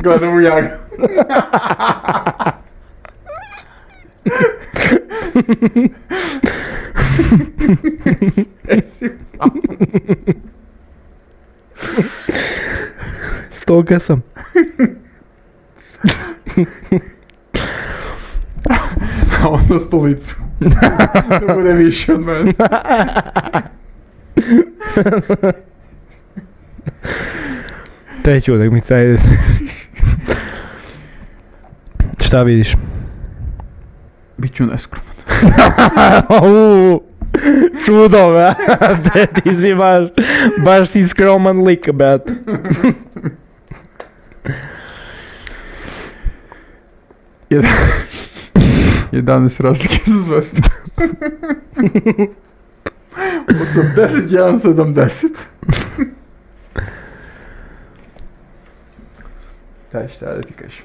Gledam u jaga. Sve si upravo. Stoka sam. A on na stolicu. Da bude više od mene. Treća utakmica, ajde. Šta vidiš? Biću neskroman. Uuu, čudo, brate, ti si baš, baš si skroman lik, brate. Jedan... jedanaest razlike za Zvezdu. osamdeset jedan sedamdeset. Daj šta da ti kažem.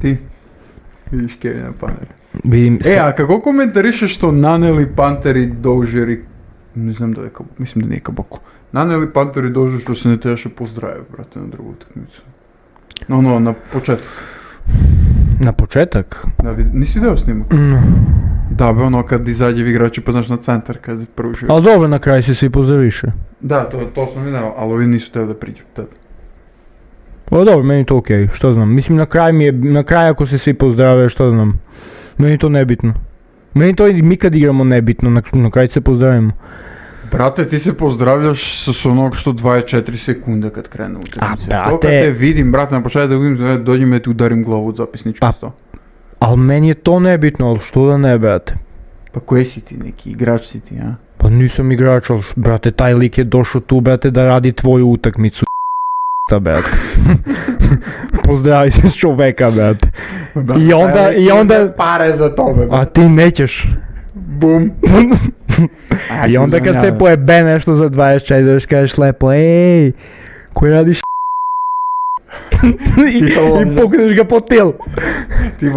Ti vidiš Kevina Panera. Vidim E, a kako komentarišeš što naneli Panteri Dožeri, ne znam da je kao, mislim da nije kabako. Naneli Panteri Dožeri što se ne trebaše pozdravio, brate, na drugu utakmicu. Ono, na početku. Na početak? Da, vidi, nisi deo snimak? No. Da, be ono kad izađe igrači pa znaš na centar kad se pružio. Ali dobro, na kraju se svi pozdraviše. Da, to, to sam vidio, ali ovi nisu teo da priđu tada. O dobro, meni to okej, okay. Što znam, mislim na kraj mi je, na kraj ako se svi pozdrave, što znam, meni to nebitno. Meni to mi kad igramo nebitno, na, na kraj se pozdravimo. Brate, ti se pozdravljaš s onog što dvadeset četiri sekunde kad krene utakmica. A, brate... To kad te vidim, brate, na početku da vidim, dođem ja ti udarim glavu od zapisnički sto. Ali meni je to nebitno, ali što da ne, brate? Pa koji si ti, neki igrač si ti, a? Pa nisam igrač, ali brate, taj lik je došao tu, brate, da radi tvoju utakmicu, brate. Pozdravi se s čoveka, brate. I onda, i onda... Pare za tome, brate. A ti nećeš. Bum. I onda kad se pojebe nešto za dvadeset četiri, kažeš lepo, ej, koji radiš I, i pukneš ga po til.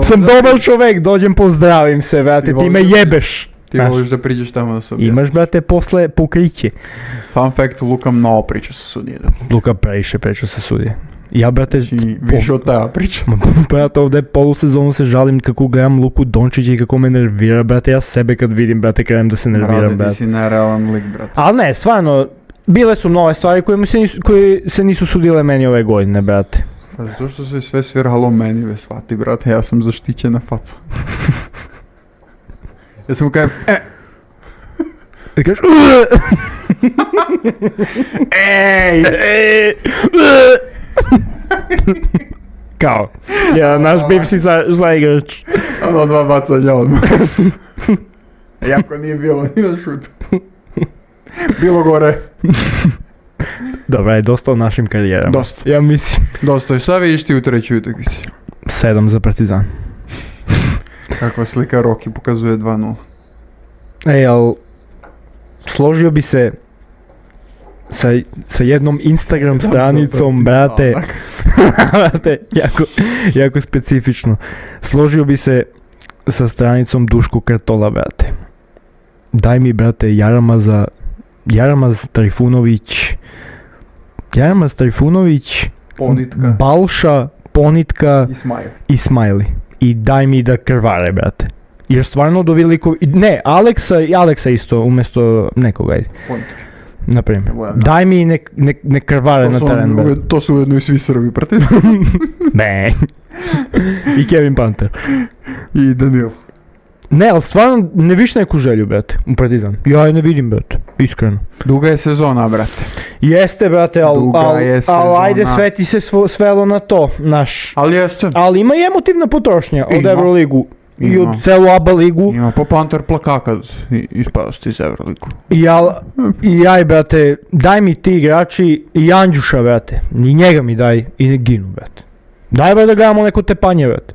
Sam dobar čovek, dođem pozdravim se, brate, ti, ti me jebeš. Ti voliš da priđeš tamo da se objasniš. Imaš, brate, posle pokriće. Fun fact, Luka mnogo priča sa sudije. Luka previše priča sa sudije. Ja, brate, znači, više od teba priča. Brate, ovdje polusezonu se žalim kako gledam Luku Dončića i kako me nervira, brate, ja sebe kad vidim, brate, krenem da se nerviram, brate. Brate, ti si nerealan lik, brate. Ali ne, stvarno, bile su nove stvari koje, se nisu, koje se nisu sudile meni ove godine, brate. Pa zato što se sve sviralo meni, ve shvati, brate, ja sam zaštićena faca. Ja sam mu kajem, e! I kažeš, ej! Ej! Kao, ja, naš bivši zaigrač. Ono dva bacanja odmah. Jako nije bilo ni na šutu. Bilo gore. Dobra, je dosta o našim karijerama. Dosta. Ja mislim. Dosta, i šta vidiš ti u trećoj utakmici? sedam za Partizan. Kakva slika Roki pokazuje dva nula. Ej, al složio bi se sa, sa jednom Instagram stranicom, brate, brate, jako, jako specifično. Složio bi se sa stranicom Duško Kartola, brate. Daj mi, brate, Jaramaza, Jaramaz Trifunović, Jaramaz Trifunović, Ponitka, Balša, Ponitka i Smajl. i Smajli. I daj mi da krvare, brate. Jer stvarno do veliko... Ne, Aleksa i Aleksa isto, umjesto nekoga. Ponitka. Naprimjer. Daj mi nek, nek, nek krvare na teren, brate. To su ujedno i svi Srbi, brate. Ne. I Kevin Panter. I Daniel. Ne, ali stvarno ne viš neku želju, brate, u Partizan. Ja je ne vidim, brate, iskreno. Duga je sezona, brate. Jeste, brate, ali al, al, ajde sve ti se svo, svelo na to, naš. Ali jeste. Ali ima i emotivna potrošnja od Ima. Euroligu. Ima. I od celu ABA ligu. Ima po Panter plaka kad ispadosti iz Euroligu. I, al, I aj, brate, daj mi ti igrači i Andjuša, brate. I njega mi daj i ne ginu, brate. Daj, brate, da gledamo neko tepanje, brate.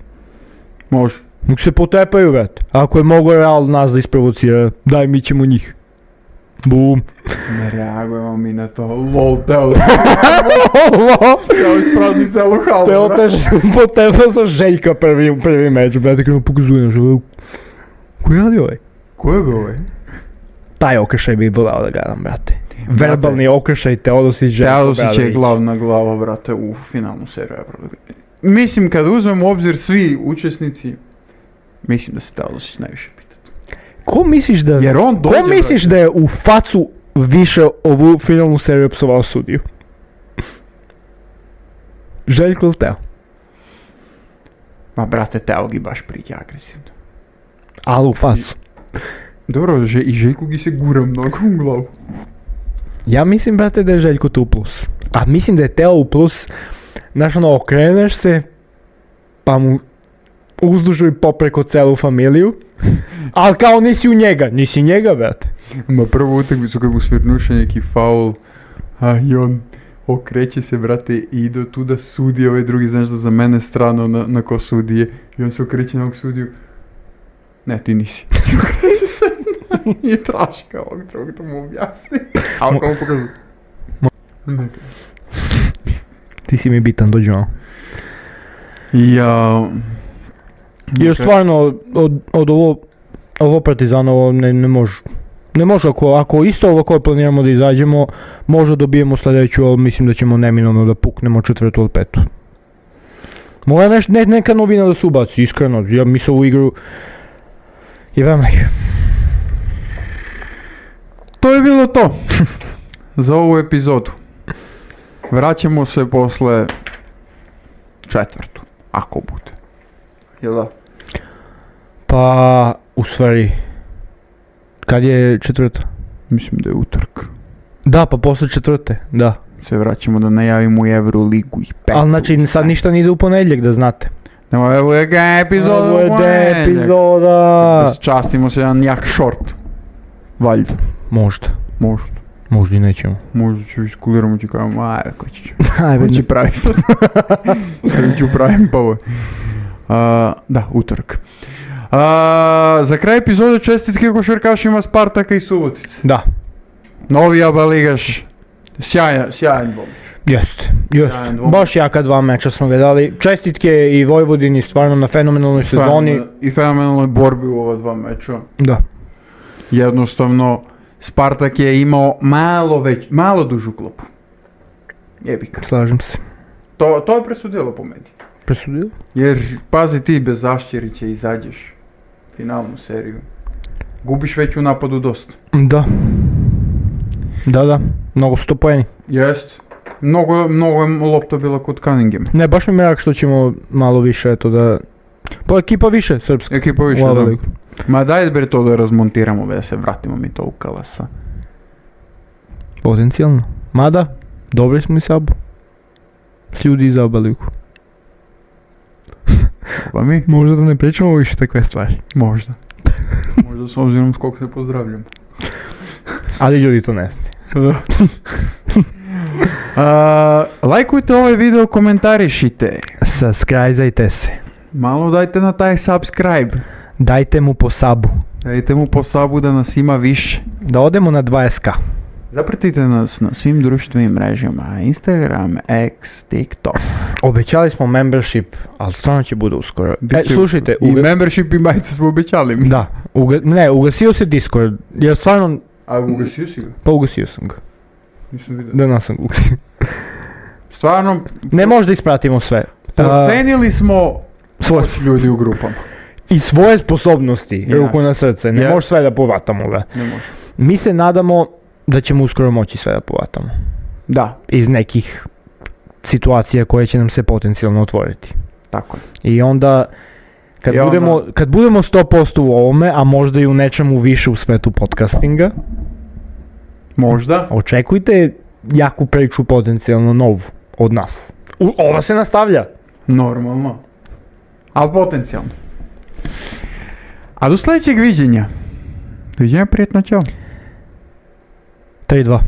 Može. Nek se potepaju, brate. Ako je mogo Real nas da isprovocira, daj mi ćemo njih. Bum. Ne reagujemo mi na to. Lol, teo. Kao isprazni celu halu. Teo tež potepao sa Željka prvi, prvi meč, brate, kada pokazuje nešto. Ko je radi ovaj? Ko je bio ovaj? Taj okršaj bi volao da gledam, brate. Verbalni okršaj Teodosić Željko Obradović. Teodosić je glavna glava, brate, u finalnu seriju Euroligi. Mislim, kad uzmemo u obzir svi učesnici, mislim da se Teodosić najviše pita. Ko misliš da, Jer on dođe, ko misliš da je u facu više ovu finalnu seriju psovao sudiju? Željko ili Teo? Ma brate, Teo gi baš priđe agresivno. Ali u facu. Dobro, že, i Željko gi se gura mnogo u glavu. Ja mislim, brate, da je Željko tu u plus. A mislim da je Teo u plus, znaš ono, okreneš se, pa mu uzdužuj popreko celu familiju, ali kao nisi u njega, nisi njega, brate. Ma prvu utakmicu kad mu svirnuše neki faul, a i on okreće se, brate, i ide tu da sudi, ovaj drugi, znaš da za mene strano na, na ko sudije, i on se okreće na ovog sudiju. Ne, ti nisi. Okreće se i traži kao ovog drugog da mu objasni. A on kao mu pokazuje. Ne. Ti si mi bitan, dođi ono. Ja... Jer stvarno, od, od ovo, ovo Partizanovo ne, ne može. Ne može, ako, ako isto ovo koje planiramo da izađemo, možda dobijemo sljedeću, ali mislim da ćemo neminovno da puknemo četvrtu ili petu. Mora neš, ne, neka novina da se ubaci, iskreno, ja mislim ovu igru... Jebam ih. To je bilo to za ovu epizodu. Vraćamo se posle četvrtu, ako bude. Jel da? Pa, u stvari, kad je četvrta? Mislim da je utorak. Da, pa posle četvrte, da. Se vraćamo da najavimo i Euroligu i petu. Ali znači sad ništa ne ide u ponedjeljak, da znate. Nemo, evo je ga epizoda Ovo je u de ponedjeljak. epizoda. Da častimo se jedan jak short. Valjda. Možda, Možda. možda i nećemo. Možda ću iskuliramo ću kao, ajde, ko će. Ajde, Ko će pravi sad. Sad ću pravim pa ovo. Uh, da, utorak. Uh, za kraj epizode čestitke košarkašima Spartaka i Subotice. Da, Novi Aba ligaš. Sjajan, sjajan bombić. jeste, jeste. Sjajan dvom. Baš jaka dva meča smo ga dali. Čestitke i Vojvodini stvarno na fenomenalnoj sezoni. I fenomenalnoj borbi u ova dva meča. Da. Jednostavno, Spartak je imao malo već, malo dužu klopu. Jebika. Slažem se. To, to je presudilo po meni. Presudio? Jer, pazi ti, bez Zašćerića izađeš finalnu seriju. Gubiš već u napadu dosta. Da. Da, da. Mnogo su to poeni. Jest. Mnogo, mnogo je lopta bila kod Cunningham. Ne, baš mi je mrak što ćemo malo više, eto da... Pa ekipa više, srpska. Ekipa više, U da. Euroligu. Ma daj bre to da razmontiramo, be, da se vratimo mi to u Kalasa. Potencijalno. Mada, dobri smo i sabu. S ljudi iz Abaliku. Pa mi? Možda da ne pričamo više takve stvari. Možda. Možda s obzirom s kog se pozdravljam. Ali ljudi to ne znaju. Uh, lajkujte ovaj video, komentarišite. Subscribe-ajte se. Malo dajte na taj subscribe. Dajte mu po sabu. Dajte mu po sabu da nas ima više. Da odemo na dvadeset ka. Zapratite nas na svim društvenim mrežama. Instagram, X, TikTok. Obećali smo membership, ali stvarno će bude uskoro. E, Biće- slušajte, I uga... membership i majice smo obećali mi. da, uga... ne, ugasio se Discord, jer stvarno, A ugasio si ga? pa ugasio sam ga. Nisam vidio. Da, nas sam ga ugasio. Stvarno, Ne može da ispratimo sve. A, ocenili smo svoje. moć ljudi u grupama. I svoje sposobnosti, Ja. ruku na srce, ne Ja. može sve da povatamo ga. Ne može. Mi se nadamo da ćemo uskoro moći sve da povatamo. Da, Iz nekih situacija koje će nam se potencijalno otvoriti. tako je. I onda kad, I onda- budemo, kad budemo sto posto u ovome, a možda i u nečemu više u svetu podcastinga, Možda. očekujte jaku priču potencijalno novu od nas. U, ova se nastavlja. Normalno. Ali potencijalno. A do sljedećeg viđenja. Doviđenja, prijetno, čao. tri dva.